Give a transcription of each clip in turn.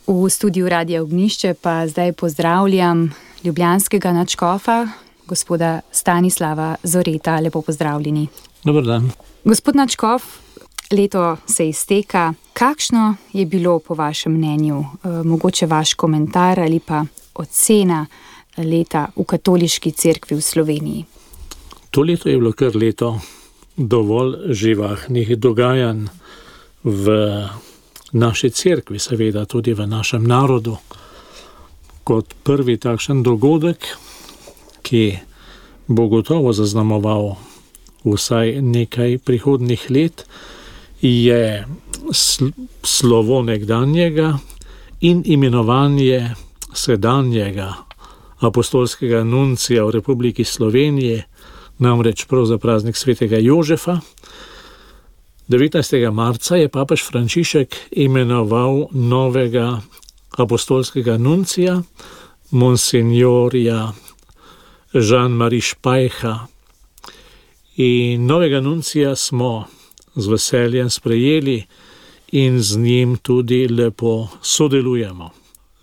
V studiu Radia Ognjišče pa zdaj pozdravljam ljubljanskega nadškofa, gospoda Stanislava Zoreta. Lepo pozdravljeni. Dober dan. Gospod nadškof, leto se izteka. Kakšno je bilo po vašem mnenju, mogoče vaš komentar ali pa ocena leta v katoliški cerkvi v Sloveniji? To leto je bilo kar leto dovolj živahnih dogajanj v naši cerkvi, seveda tudi v našem narodu. Kot prvi takšen dogodek, ki bo gotovo zaznamoval vsaj nekaj prihodnjih let, je slovo nekdanjega in imenovanje sedanjega apostolskega nuncija v Republiki Sloveniji, namreč prav za praznik svetega Jožefa. 19. marca je papež Frančišek imenoval novega apostolskega nuncija, monsinjorja Jean-Marie Špajha. In novega nuncija smo z veseljem sprejeli in z njim tudi lepo sodelujemo.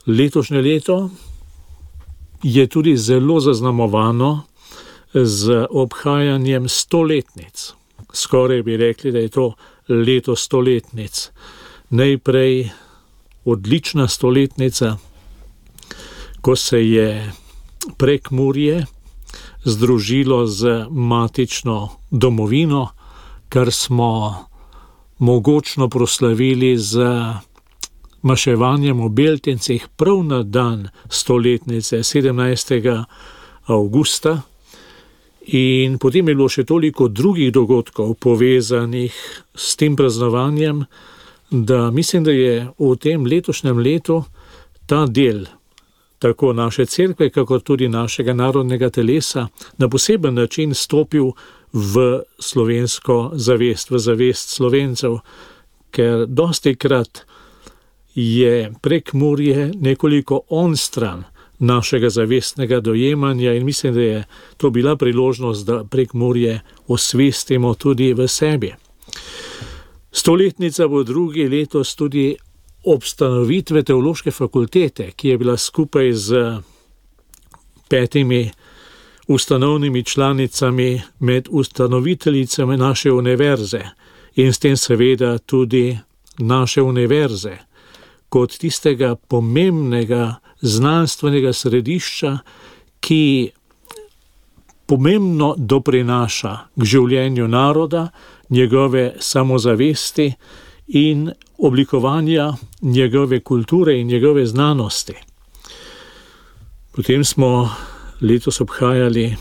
Letošnje leto je tudi zelo zaznamovano z obhajanjem 100-letnic. Skoraj bi rekli, da je to leto 100-letnic. Najprej odlična 100-letnica, ko se je Prekmurje združilo z matično domovino, kar smo mogočno proslavili z maševanjem v Beltincih prav na dan 100-letnice 17. avgusta. In potem je bilo še toliko drugih dogodkov povezanih s tem praznovanjem, da mislim, da je v tem letošnjem letu ta del tako naše cerkve, kakor tudi našega narodnega telesa na poseben način stopil v slovensko zavest, v zavest Slovencev, ker dostikrat je Prekmurje nekoliko onstran našega zavestnega dojemanja in mislim, da je to bila priložnost, da Prekmurje osvestimo tudi v sebi. 100-letnica bo drugi letos tudi obstanovitve teološke fakultete, ki je bila skupaj z 5 ustanovnimi članicami med ustanoviteljicami naše univerze in s tem seveda tudi naše univerze kot tistega pomembnega znanstvenega središča, ki pomembno doprinaša k življenju naroda, njegove samozavesti in oblikovanja njegove kulture in njegove znanosti. Potem smo letos obhajali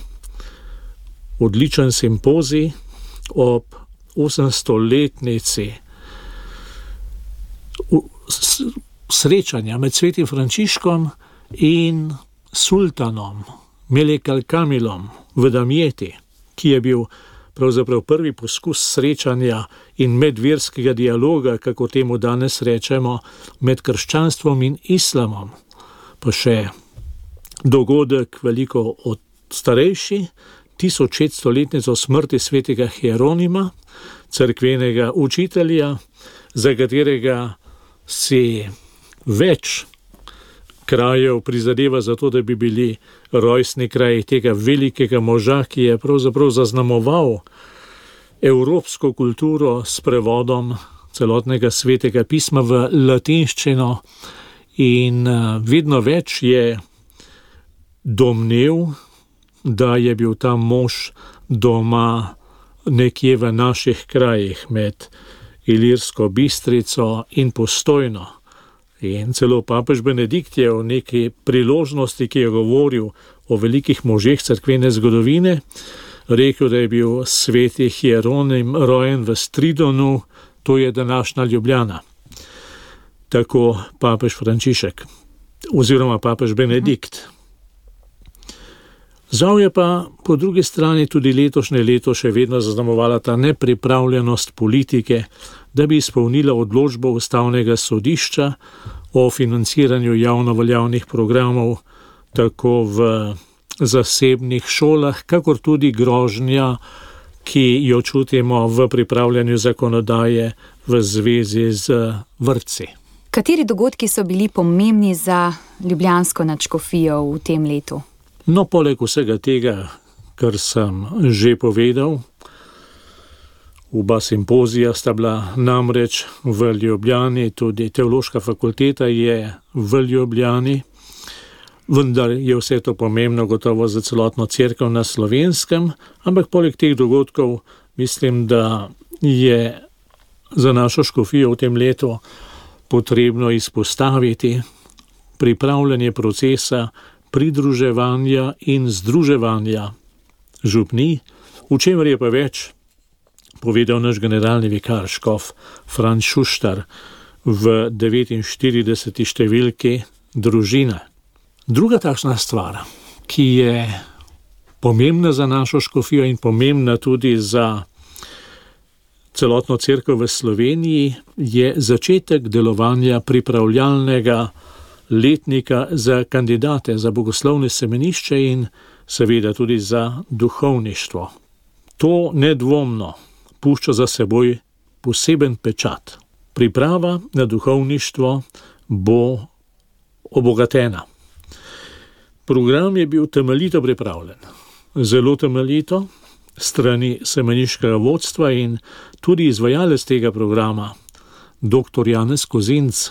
odličen simpozij ob 800-letnici srečanja med svetim Frančiškom in sultanom Melek al-Kamilom v Damjeti, ki je bil pravzaprav prvi poskus srečanja in medverskega dialoga, kako temu danes rečemo, med krščanstvom in islamom. Pa še dogodek veliko od starejši, 1600-letnico smrti svetega Hieronima, cerkvenega učitelja, za katerega si več krajev prizadeva za to, da bi bili rojstni kraji tega velikega moža, ki je pravzaprav zaznamoval evropsko kulturo s prevodom celotnega svetega pisma v latinščino in vedno več je domnev, da je bil ta mož doma nekje v naših krajih med Ilirsko Bistrico in Postojno. In celo papež Benedikt je v neki priložnosti, ki je govoril o velikih možeh cerkvene zgodovine, rekel, da je bil sveti Hieronim rojen v Stridonu, to je današnja Ljubljana. Tako papež Frančišek oziroma papež Benedikt. Žal je pa po drugi strani tudi letošnje leto še vedno zaznamovala ta nepripravljenost politike, da bi izpolnila odločbo Ustavnega sodišča o financiranju javno veljavnih programov tako v zasebnih šolah, kakor tudi grožnja, ki jo čutimo v pripravljanju zakonodaje v zvezi z vrtci. Kateri dogodki so bili pomembni za ljubljansko nadškofijo v tem letu? No, poleg vsega tega, kar sem že povedal, oba simpozija sta bila namreč v Ljubljani, tudi teološka fakulteta je v Ljubljani, vendar je vse to pomembno gotovo za celotno cerkev na Slovenskem, ampak poleg teh dogodkov mislim, da je za našo škofijo v tem letu potrebno izpostaviti pripravljanje procesa pridruževanja in združevanja župnij, v čemer je pa več povedal naš generalni vikar škof Franc Šuštar v 49. številki Družine. Druga takšna stvar, ki je pomembna za našo škofijo in pomembna tudi za celotno cerkev v Sloveniji, je začetek delovanja pripravljalnega letnika za kandidate za bogoslovne semenišče in seveda tudi za duhovništvo. To nedvomno pušča za seboj poseben pečat. Priprava na duhovništvo bo obogatena. Program je bil temeljito pripravljen, zelo temeljito, strani semeniškega vodstva in tudi izvajalec tega programa, dr. Janez Kozinc,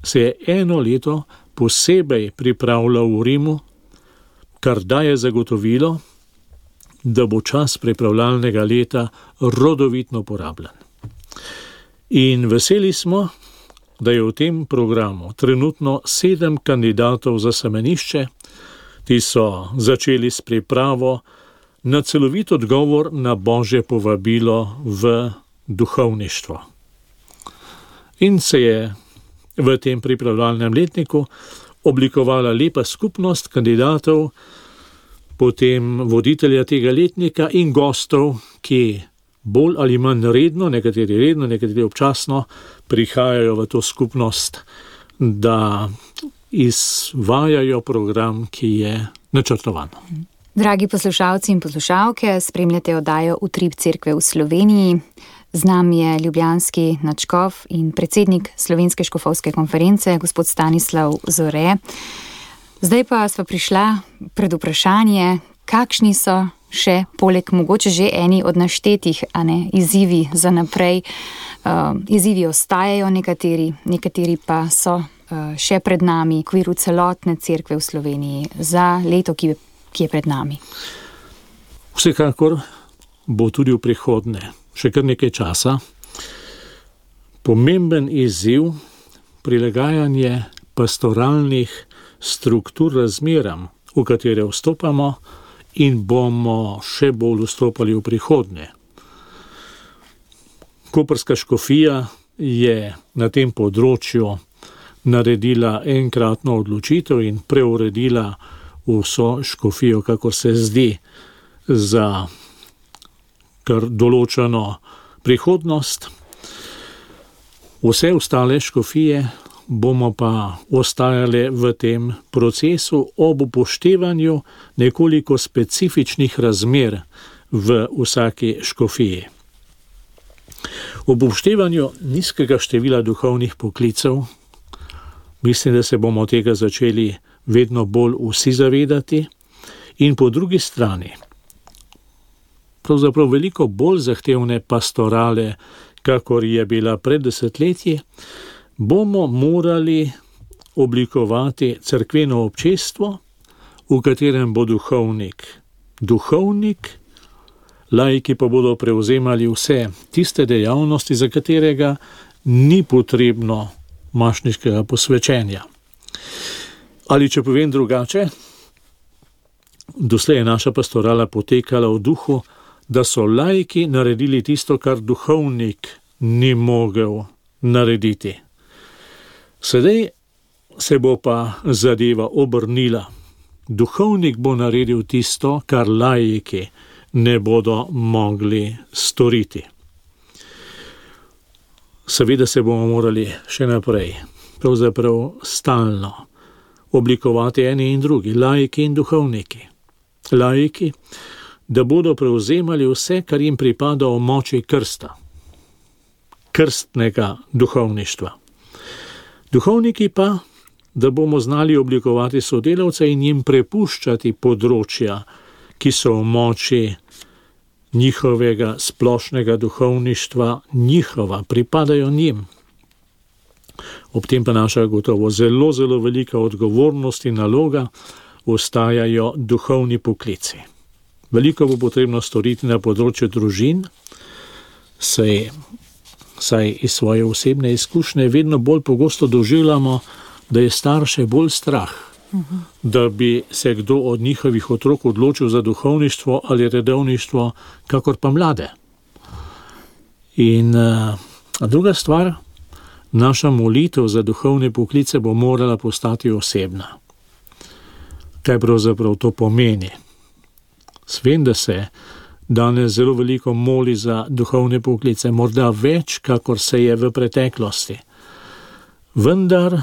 se je eno leto posebej pripravljal v Rimu, kar daje zagotovilo, da bo čas pripravljalnega leta rodovitno porabljen. In veseli smo, da je v tem programu trenutno 7 kandidatov za semenišče. Ti so začeli s pripravo na celovit odgovor na Božje povabilo v duhovništvo. In se je v tem pripravljalnem letniku oblikovala lepa skupnost kandidatov, potem voditelja tega letnika in gostov, ki bolj ali manj redno, nekateri občasno, prihajajo v to skupnost, da izvajajo program, ki je načrtovan. Dragi poslušalci in poslušalke, spremljate oddajo Utrip cerkve v Sloveniji. Z nami je ljubljanski nadškof in predsednik Slovenske škofovske konference, gospod Stanislav Zore. Zdaj pa sva prišla pred vprašanje, kakšni so še, poleg mogoče že eni od naštetih, izzivi za naprej. Izzivi ostajajo nekateri pa so še pred nami v okviru celotne cerkve v Sloveniji za leto, ki je pred nami. Vsekakor bo tudi v prihodnje še kar nekaj časa pomemben izziv prilagajanje pastoralnih struktur razmeram, v katere vstopamo in bomo še bolj vstopali v prihodnje. Koprska škofija je na tem področju naredila enkratno odločitev in preuredila vso škofijo, kako se zdi, za kar določeno prihodnost. Vse ostale škofije bomo pa ostajali v tem procesu ob upoštevanju nekoliko specifičnih razmer v vsaki škofiji. Ob upoštevanju nizkega števila duhovnih poklicev, mislim, da se bomo tega začeli vedno bolj vsi zavedati, in po drugi strani pravzaprav veliko bolj zahtevne pastorale, kakor je bila pred desetletji, bomo morali oblikovati cerkveno občestvo, v katerem bo duhovnik, laiki pa bodo prevzemali vse tiste dejavnosti, za katerega ni potrebno mašniškega posvečenja. Ali če povem drugače, doslej je naša pastorala potekala v duhu, da so laiki naredili tisto, kar duhovnik ni mogel narediti. Sedaj se bo pa zadeva obrnila. Duhovnik bo naredil tisto, kar laiki ne bodo mogli storiti. Seveda se bomo morali še naprej, pravzaprav stalno, oblikovati eni in drugi, laiki in duhovniki. Laiki, da bodo prevzemali vse, kar jim pripada v moči krsta, krstnega duhovništva. Duhovniki pa, da bomo znali oblikovati sodelavce in jim prepuščati področja, ki so v moči njihovega splošnega duhovništva, njihova, pripadajo njim. Ob tem pa naša gotovo zelo, zelo velika odgovornost in naloga ostajajo duhovni poklici. Veliko bo potrebno storiti na področju družin, saj iz svoje osebne izkušnje vedno bolj pogosto doživljamo, da je starše bolj strah, da bi se kdo od njihovih otrok odločil za duhovništvo ali redovništvo, kakor pa mlade. In druga stvar, naša molitev za duhovne poklice bo morala postati osebna. Kaj pravzaprav to pomeni? Vem, da se danes zelo veliko moli za duhovne poklice, morda več, kakor se je v preteklosti. Vendar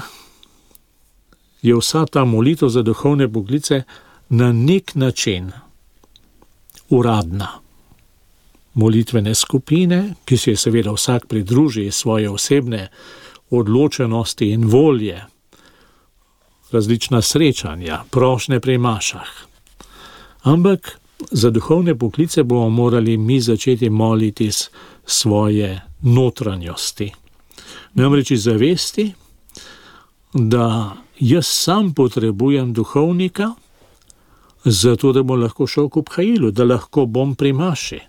je vsa ta molitev za duhovne poklice na nek način uradna. Molitvene skupine, ki se je seveda vsak pridruži svoje osebne odločenosti in volje, različna srečanja, prošnje pri mašah. Ampak za duhovne poklice bomo morali mi začeti moliti iz svoje notranjosti. Namreč iz zavesti, da jaz sam potrebujem duhovnika, zato da bom lahko šel k obhajilu, da lahko bom pri maši,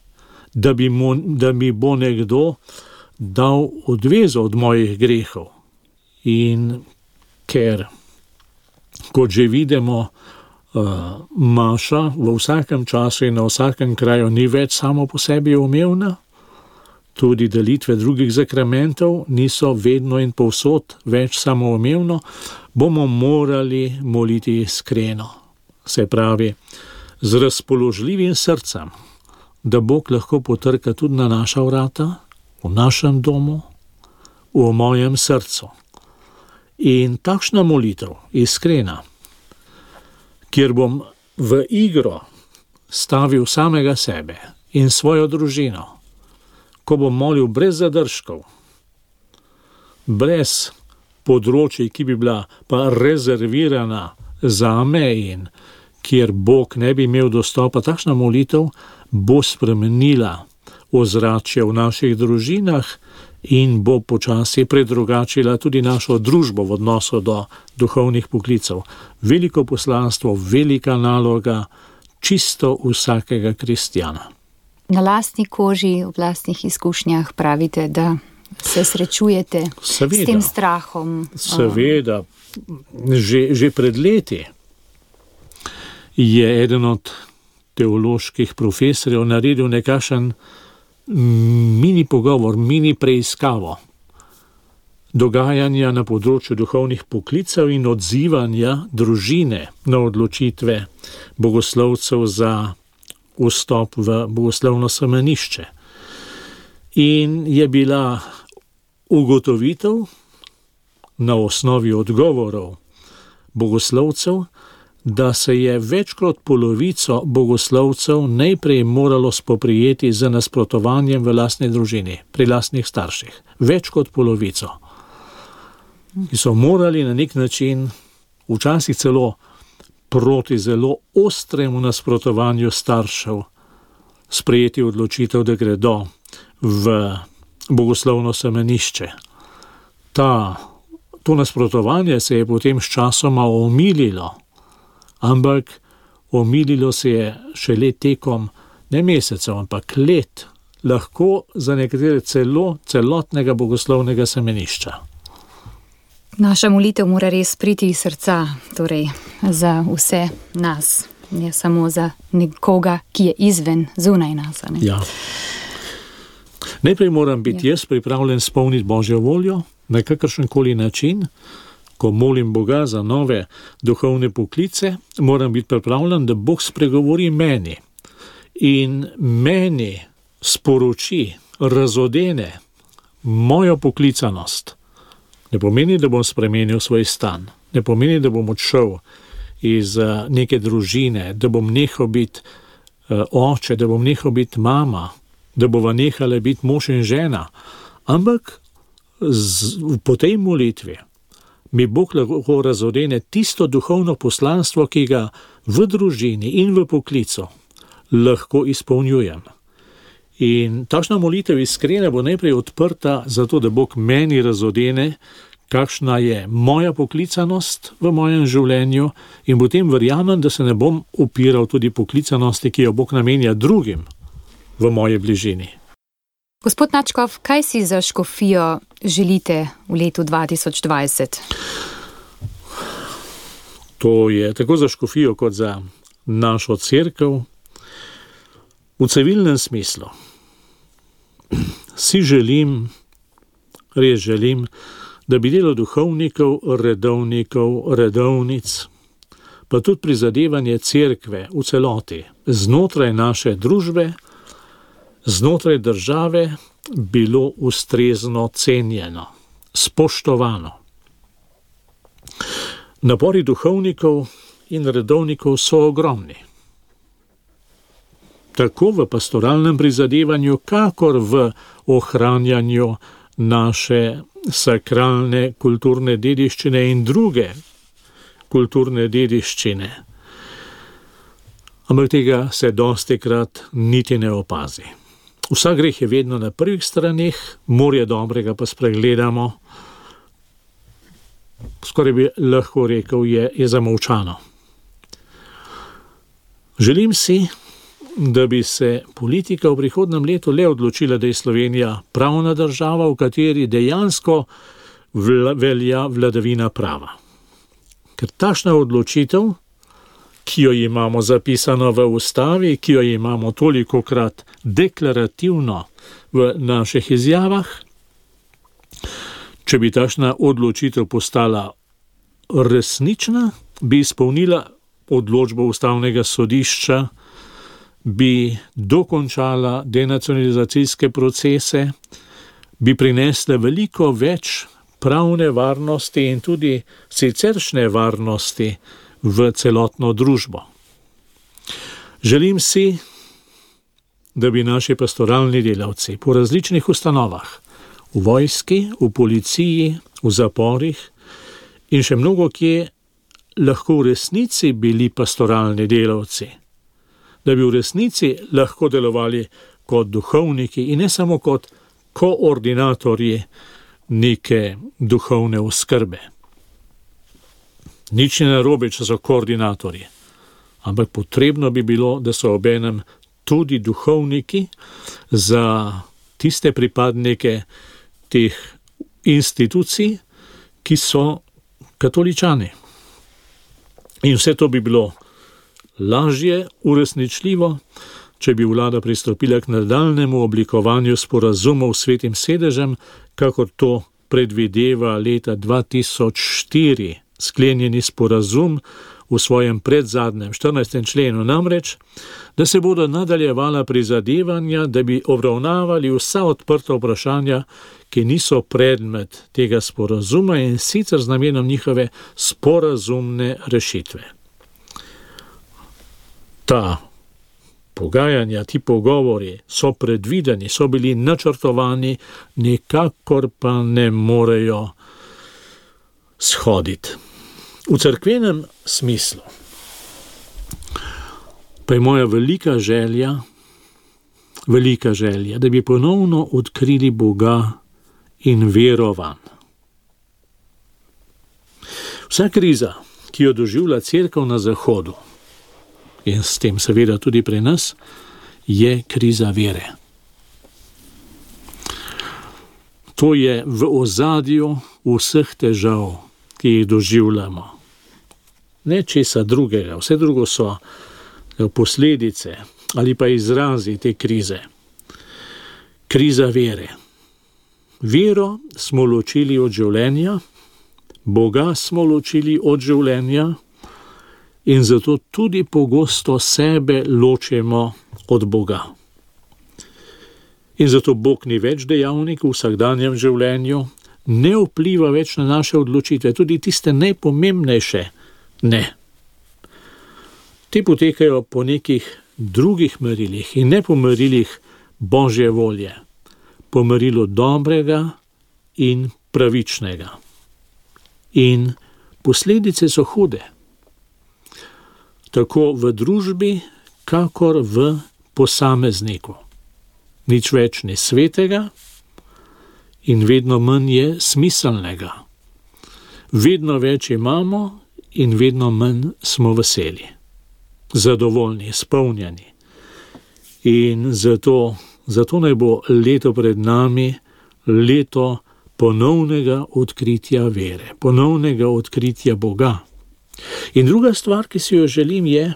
da mi bo nekdo dal odvezo od mojih grehov. In ker, kot že vidimo, maša v vsakem času in na vsakem kraju ni več samo po sebi umevna, tudi delitve drugih zakramentov niso vedno in povsod več samoumevno, bomo morali moliti iskreno. Se pravi, z razpoložljivim srcem, da Bog lahko potrka tudi na naša vrata, v našem domu, v mojem srcu. In takšna molitev, iskrena, kjer bom v igro stavil samega sebe in svojo družino, ko bom molil brez zadržkov, brez področij, ki bi bila pa rezervirana zame in kjer Bog ne bi imel dostopa, takšna molitev bo spremenila ozračje v naših družinah in bo počasi predrugačila tudi našo družbo v odnosu do duhovnih poklicev. Veliko poslanstvo, velika naloga čisto vsakega kristjana. Na lastni koži, v lastnih izkušnjah pravite, da se srečujete s tem strahom. Seveda, že pred leti je eden od teoloških profesorjev naredil nekakšen mini pogovor, mini preiskavo dogajanja na področju duhovnih poklicev in odzivanja družine na odločitve bogoslovcev za vstop v bogoslovno semenišče. In je bila ugotovitev na osnovi odgovorov bogoslovcev, da se je več kot polovico bogoslovcev najprej moralo spoprijeti z nasprotovanjem v lastni družini, pri lastnih starših. Več kot polovico. Ki so morali na nek način, včasih celo proti zelo ostremu nasprotovanju staršev, sprejeti odločitev, da gredo v bogoslovno semenišče. To nasprotovanje se je potem s časoma omililo, ampak omililo se je šele tekom ne mesecev, ampak let, lahko za nekatere celotnega bogoslovnega semenišča. Naša molitev mora res priti iz srca, torej za vse nas, ne samo za nekoga, ki je izven, zunaj nas. Ne? Ja. Najprej moram biti jaz pripravljen spolniti Božjo voljo na kakršenkoli način. Ko molim Boga za nove duhovne poklice, moram biti pripravljen, da Bog spregovori meni in meni sporoči, razodene mojo poklicanost. Ne pomeni, da bom spremenil svoj stan, ne pomeni, da bom odšel iz neke družine, da bom nehal biti oče, da bom nehal biti mama, da bova nehala biti mož in žena, ampak po tej molitvi mi Bog lahko razodene tisto duhovno poslanstvo, ki ga v družini in v poklicu lahko izpolnjujem. In takšna molitev iskrena bo najprej odprta zato, da Bog meni razodene, kakšna je moja poklicanost v mojem življenju, in potem verjamem, da se ne bom upiral tudi poklicanosti, ki jo Bog namenja drugim v moji bližini. Gospod Načkov, kaj si za škofijo želite v letu 2020? To je tako za škofijo kot za našo cerkev. V civilnem smislu si želim, res želim, da bi delo duhovnikov, redovnikov, redovnic, pa tudi prizadevanje cerkve v celoti, znotraj naše družbe, znotraj države, bilo ustrezno cenjeno, spoštovano. Napori duhovnikov in redovnikov so ogromni. Tako v pastoralnem prizadevanju, kakor v ohranjanju naše sakralne kulturne dediščine in druge kulturne dediščine. Ampak tega se dostikrat niti ne opazi. Vsak greh je vedno na prvih straneh, morje dobrega pa spregledamo. Skoraj bi lahko rekel, je zamolčano. Želim si, da bi se politika v prihodnem letu le odločila, da je Slovenija pravna država, v kateri dejansko velja vladavina prava. Ker takšna odločitev, ki jo imamo zapisano v ustavi, ki jo imamo tolikokrat deklarativno v naših izjavah, če bi takšna odločitev postala resnična, bi izpolnila odločbo Ustavnega sodišča, bi dokončala denacionalizacijske procese, bi prinesla veliko več pravne varnosti in tudi siceršnje varnosti v celotno družbo. Želim si, da bi naši pastoralni delavci po različnih ustanovah, v vojski, v policiji, v zaporih in še mnogo kje lahko v resnici bili pastoralni delavci, da bi v resnici lahko delovali kot duhovniki in ne samo kot koordinatorji neke duhovne oskrbe. Nič ne narobe, če so koordinatorji, ampak potrebno bi bilo, da so obenem tudi duhovniki za tiste pripadnike teh institucij, ki so katoličani. In vse to bi bilo lažje uresničljivo, če bi vlada pristopila k nadaljnjemu oblikovanju sporazumov s Svetim sedežem, kakor to predvideva leta 2004 sklenjeni sporazum v svojem predzadnjem 14. členu, namreč, da se bodo nadaljevala prizadevanja, da bi obravnavali vsa odprta vprašanja, ki niso predmet tega sporazuma, in sicer z namenom njihove sporazumne rešitve. Ta pogajanja, ti pogovori so predvideni, so bili načrtovani, nikakor pa ne morejo shoditi. V cerkvenem smislu pa je moja velika želja, da bi ponovno odkrili Boga in verovan. Vsa kriza, ki jo doživlja cerkev na Zahodu, in s tem seveda tudi pri nas, je kriza vere. To je v ozadju vseh težav, ki jih doživljamo. Ne česa drugega, vse drugo so posledice ali pa izrazi te krize. Kriza vere. Vero smo ločili od življenja, Boga smo ločili od življenja in zato tudi pogosto sebe ločimo od Boga. In zato Bog ni več dejavnik v vsakdanjem življenju, ne vpliva več na naše odločitve, tudi tiste najpomembnejše ne. Te potekajo po nekih drugih merilih in ne po merilih Božje volje, po merilu dobrega in pravičnega. In posledice so hude. Tako v družbi, kakor v posamezniku. Nič več ni svetega in vedno manj je smiselnega. Vedno več imamo in vedno manj smo veseli, zadovoljni, izpolnjeni. In zato naj bo leto pred nami leto ponovnega odkritja vere, ponovnega odkritja Boga. In druga stvar, ki si jo želim, je,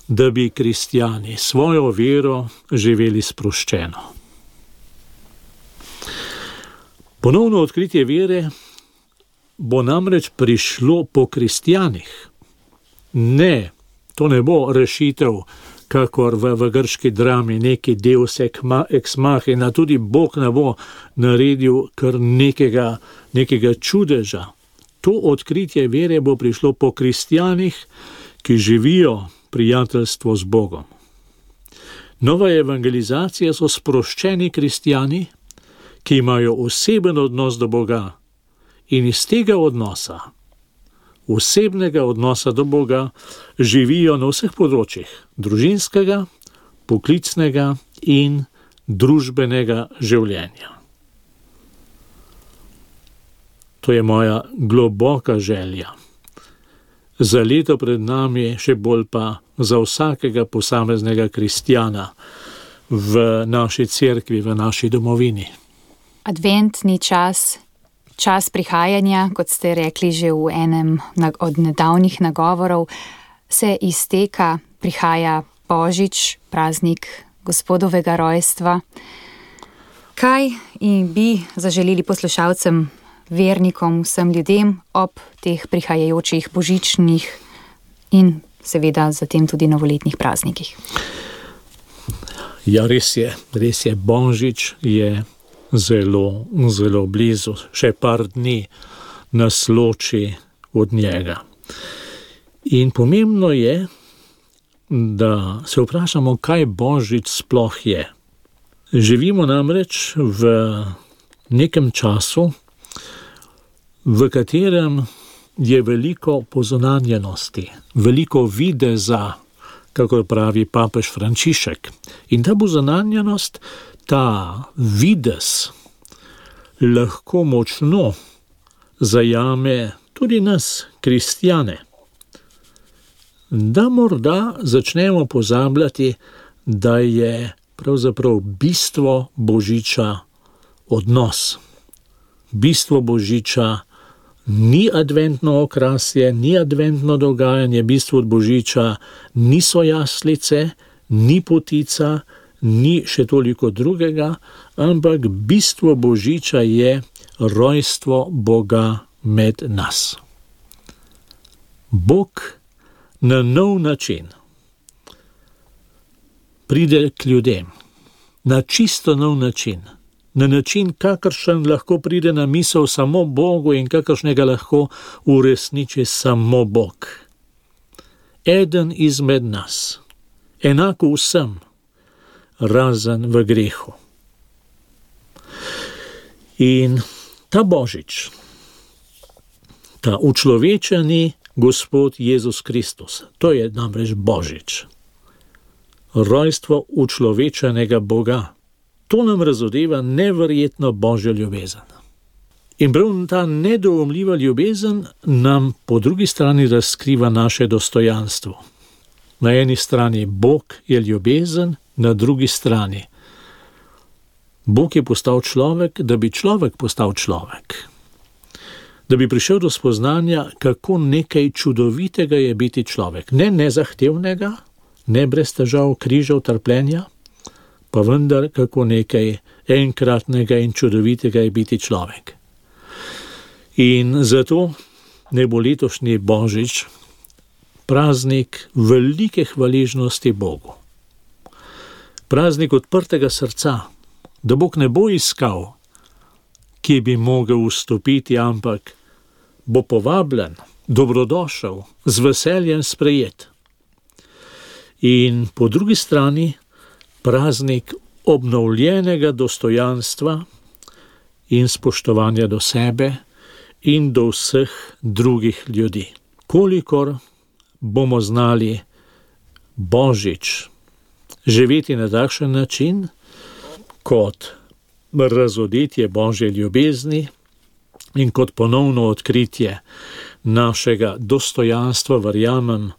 da bi kristjani svojo vero živeli sproščeno. Ponovno odkritje vere bo namreč prišlo po kristjanih. Ne, to ne bo rešitev, kakor v grški drami, neki deus ex machina, tudi Bog ne bo naredil kar nekega čudeža. To odkritje vere bo prišlo po kristjanih, ki živijo prijateljstvo z Bogom. Nova evangelizacija so sproščeni kristjani, ki imajo oseben odnos do Boga in iz tega odnosa, osebnega odnosa do Boga, živijo na vseh področjih družinskega, poklicnega in družbenega življenja. To je moja globoka želja. Za leto pred nami, še bolj pa za vsakega posameznega kristjana v naši cerkvi, v naši domovini. Adventni čas prihajanja, kot ste rekli že v enem od nedavnih nagovorov, se izteka, prihaja Božič, praznik Gospodovega rojstva. Kaj bi zaželeli poslušalcem, vernikom, vsem ljudem ob teh prihajajočih božičnih in seveda zatem tudi novoletnih praznikih? Ja, res je, Božič je zelo, zelo blizu, še par dni nas loči od njega. In pomembno je, da se vprašamo, kaj Božič sploh je. Živimo namreč v nekem času, v katerem je veliko pozunanjenosti, veliko videza, kako pravi papež Frančišek. In ta pozunanjenost, ta videz lahko močno zajame tudi nas, kristjane. Da morda začnemo pozabljati, da je pravzaprav bistvo Božiča odnos. Bistvo Božiča ni adventno okrasje, ni adventno dogajanje, bistvo Božiča niso jaslice, ni potica, ni še toliko drugega, ampak bistvo Božiča je rojstvo Boga med nas. Bog na nov način pride k ljudem, na čisto nov način, na način, kakršen lahko pride na misel samo Bogu in kakršnega lahko uresniči samo Bog. Eden izmed nas, enako vsem, razen v grehu. In ta Božič, ta učlovečeni Gospod Jezus Kristus, to je namreč Božič. Rojstvo učlovečenega Boga. To nam razodeva neverjetno Božjo ljubezen. In prav ta nedoumljiva ljubezen nam po drugi strani razkriva naše dostojanstvo. Na eni strani Bog je ljubezen, na drugi strani Bog je postal človek, da bi človek postal človek. Da bi prišel do spoznanja, kako nekaj čudovitega je biti človek. Ne nezahtevnega, ne brez težav, križev, trpljenja, pa vendar kako nekaj enkratnega in čudovitega je biti človek. In zato ne bo letošnji Božič praznik velike hvaležnosti Bogu. Praznik odprtega srca, da Bog ne bo iskal, kje bi mogel vstopiti, ampak bo povabljen, dobrodošel, z veseljem sprejet. In po drugi strani praznik obnovljenega dostojanstva in spoštovanja do sebe in do vseh drugih ljudi. Kolikor bomo znali Božič živeti na takšen način, kot razodetje Božje ljubezni in kot ponovno odkritje našega dostojanstva, verjamem,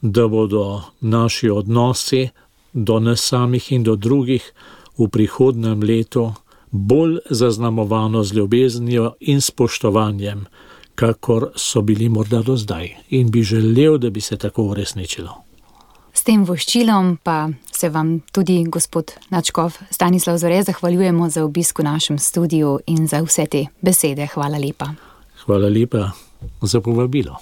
da bodo naši odnosi do nas samih in do drugih v prihodnjem letu bolj zaznamovano z ljubeznijo in spoštovanjem, kakor so bili morda do zdaj. In bi želel, da bi se tako uresničilo. S tem voščilom pa se vam tudi, gospod nadškof Stanislav Zore, zahvaljujemo za obisk v našem studiu in za vse te besede. Hvala lepa. Hvala lepa za povabilo.